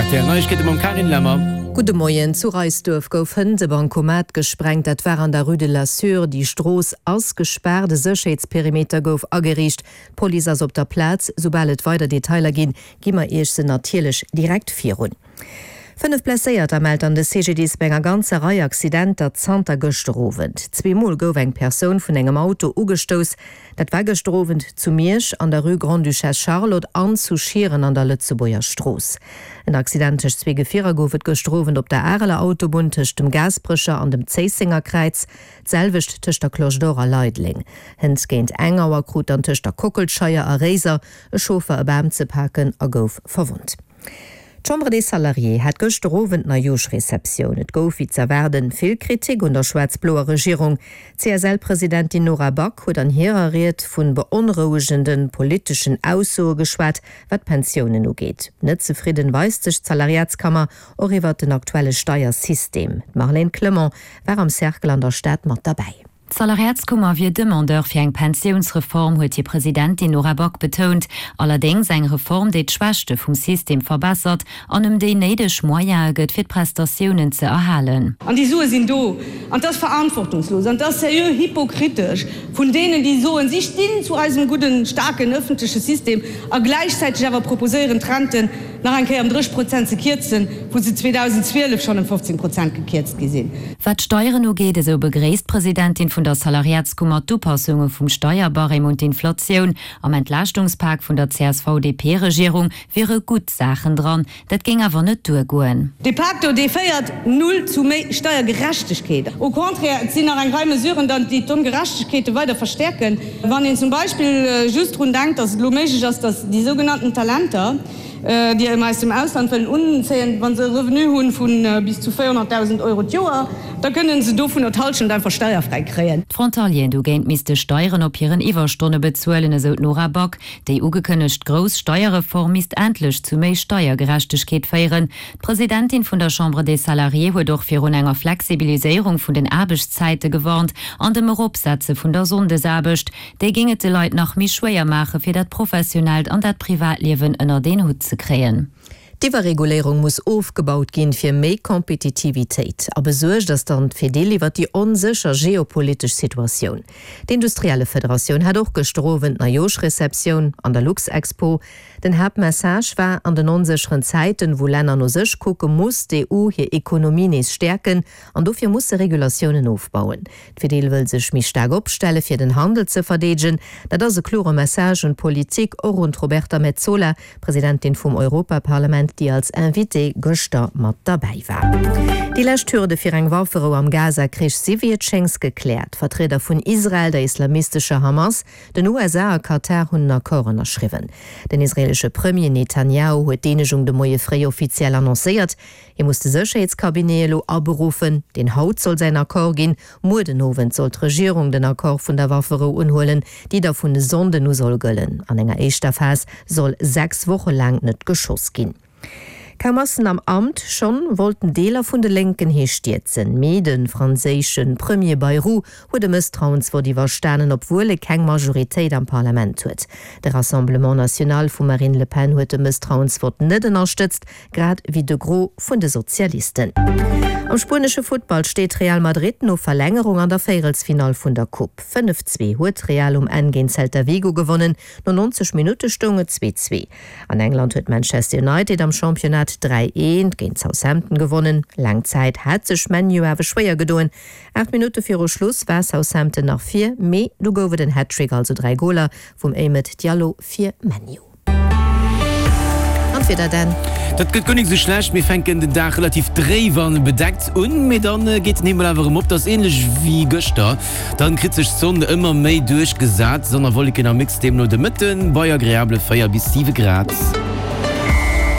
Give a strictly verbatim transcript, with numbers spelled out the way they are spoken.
R T L Neiegkeete mam Carine Lemmer. Gudde Moien, Zu Reisduerf gouf hënt e Bancomat gesprengt. Dat war an der Rue de la Sûre. Déi Strooss ass gespaart, e Sécherheetsperimeter gouf ageriicht. D'Police ass op der Plaz. Soubal et weider Detailer ginn, gi mer Iech se natierlech direkt virun. Fënnef Blesséierter mellt dann de C G D I S bei enger ganzer Rei Accidenter zanter gëschter Owend. Zweemol gouf eng Persoun vun engem Auto ugestouss. Dat war gëschter Owend zu Miersch an der Rue Grande-Duchesse Charlotte an zu Schieren an der Lëtzebuerger Strooss. En Accident tëscht zwee Gefierer gouf et gëschter Owend op der Areler Autobunn tëscht dem Gaasperecher an dem Zéissenger Kräiz, d'selwecht tëscht der Cloche d'Or a Leideleng. Hënt géint eng Auer krut dann tëscht der Kockelscheier a Réiser e Chauffer e Bam ze paken a gouf verwonnt. D'Chambre des Salariés hat gëschter Owend Neijooschreceptioun. Et gouf wéi z'erwaarden vill Kritik un der schwaarz-bloer Regierung. C S L-Presidentin Nora Back huet an hirer Ried vun beonrouegende politeschen Aussoe geschwat, wat d'Pensiounen ugeet. Net zefridden weist sech d'Salariatskammer och iwwer den aktuelle Steiersystem. D'Marlène Clement war am Cercle an der Stad mat derbäi. D'Salariatskummer wier Demandeur fir eng Pensiounsreform, huet hir Presidentin Nora Back betount. Allerdéngs eng Reform, déi d'Schwächte vum System verbessert an em déi néideg Moyene gëtt, fir d'Prestatiounen ze erhalen. An déi Sue sinn do an dat ass verantwortungslos an dat ass seriö hypokritesch vun deenen, déi soen, si stinn zu eisem gudden, staarken ëffentleche System a gläichzäiteg awer proposéieren, d'Renten nach eng Kéier ëm drësseg Prozent ze kierzen, wou se zweedausenzwielef schonn ëm fofzéng Prozent gekierzt gi sinn. Wat d'Steieren ugeet, esou begréisst d'Presidentin vun der Salariatskummer d'Upassunge vum Steierbarème un d'Inflatioun. Am Entlaaschtungspak vun der C S V-D P-Regierung wiere gutt Saachen dran, dat géing awer net duergoen. Dee Pak do, dee féiert null zu méi Steiergerechtegkeet. Au contraire, et sinn nach eng Rei Mesuren dran, déi d'Ongerechtegkeete weider verstäerken. Wann een zum Beispill just drun denkt, dass et elo méiglech ass, dass déi sougenannten Talenter, déi mer aus dem Ausland wëllen unzéien, wa se e Revenu hu vu bis zu véierhonnertdausend Euro d'Joer, da kënnen se dovunner d'Hallschent einfach steierfräi kréien. D'Frontalieren dogéint misste Steieren op hiren Iwwerstonne bezuelen, esou d'Nora Back. Déi ugekënnegt grouss Steierreform misst endlech zu méi Steiergerechtegkeet féieren. D'Presidentin vun der Chambre des Salariés huet och virun enger Flexibiliséierung vun den Aarbechtszäite gewarnt an dem Eropsetze vun der Sonndesaarbecht. Déi géing et de Leit nach méi schwéier maache fir dat professionellt an dat Privatliewen ënnert een Hutt ze kréien. D'Iwwerreguléierung muss ofgebaut ginn fir méi Kompetitivitéit. A besuergt ass dann d'Fedil iwwer déi onsécher geopolitesch Situatioun. D'Industriellefederatioun hat och gëschter Owend Neijooschreceptioun an der Luxexpo. Den Haaptmessage war: An den onsécheren Zäiten, wou Länner no sech kucken, muss d'E U hir Ekonomie nees stäerken an dofir muss se Regulatiounen ofbauen. D'Fedil wëll sech méi staark opstelle fir den Handel ze verdeedegen. Dat ass e klore Message un d'Politik, och un d'Roberta Metsola, Presidentin vum Europaparlament, déi als Invitée gëschter mat derbäi war. Déi lescht Hürde fir eng Wafferou am Gaza-Krich si wéi et schéngt gekläert. Vertrieder vun Israel, der islamistescher Hamas, den U S A a Katar hunn en Accord ënnerschriwwen. Den israelesche Premier Netanyahu huet d'Eenegung de Moie fréi offiziell annoncéiert. Hie muss de Sécherheetscabinet elo aberuffen, deen haut soll säin Accord ginn. Muer den Owend soll d'Regierung den Accord vun der Wafferou unhuelen, déi da vun e Sonnden u soll gëllen. An enger éischter Phas soll sechs Woche laang net geschoss ginn. Kaum ass en am Amt, schonn wollten Deeler vun de Lénken hie stierzen. Mee de franséische Premier Bayrou huet e Mësstrauensvott iwwerstanen, obwuel e keng Majoritéit am Parlament huet. De Rassemblement National vum Marine Le Pen huet de Mësstrauensvott net ënnerstëtzt, grad wéi de Gros vun de Sozialisten. Am spuenesche Futtball steet Real Madrid no Verlängerung an der Véierelsfinall vun der Coupe. fënnef zwee huet Real um Enn géint Celta Vigo gewonnen, no neunzeg Minutte stoung et zwee zwee. An England huet Manchester United am Championnat dräi eent géint Southampton gewonnen. Laang Zäit hat sech ManU awer schwéier gedoen. Aacht Minutte viru Schluss war Southampton nach vir, mee du gouf et en Hattrick, also dräi Goler vum Amad Diallo fir ManU. An d'Wieder dann. Dat gëtt guer net sou schlecht. Mir fänken den Dag relativ dréif an bedeckt un, mee dann geet den Himmel awer erëm op. Dat ass änlech wéi gëschter. Dann kritt sech d'Sonn ëmmer méi duerchgesat. Sonn a Wolleken am Mix deemno de Mëtten bei agreabele véier bis siwe Grad.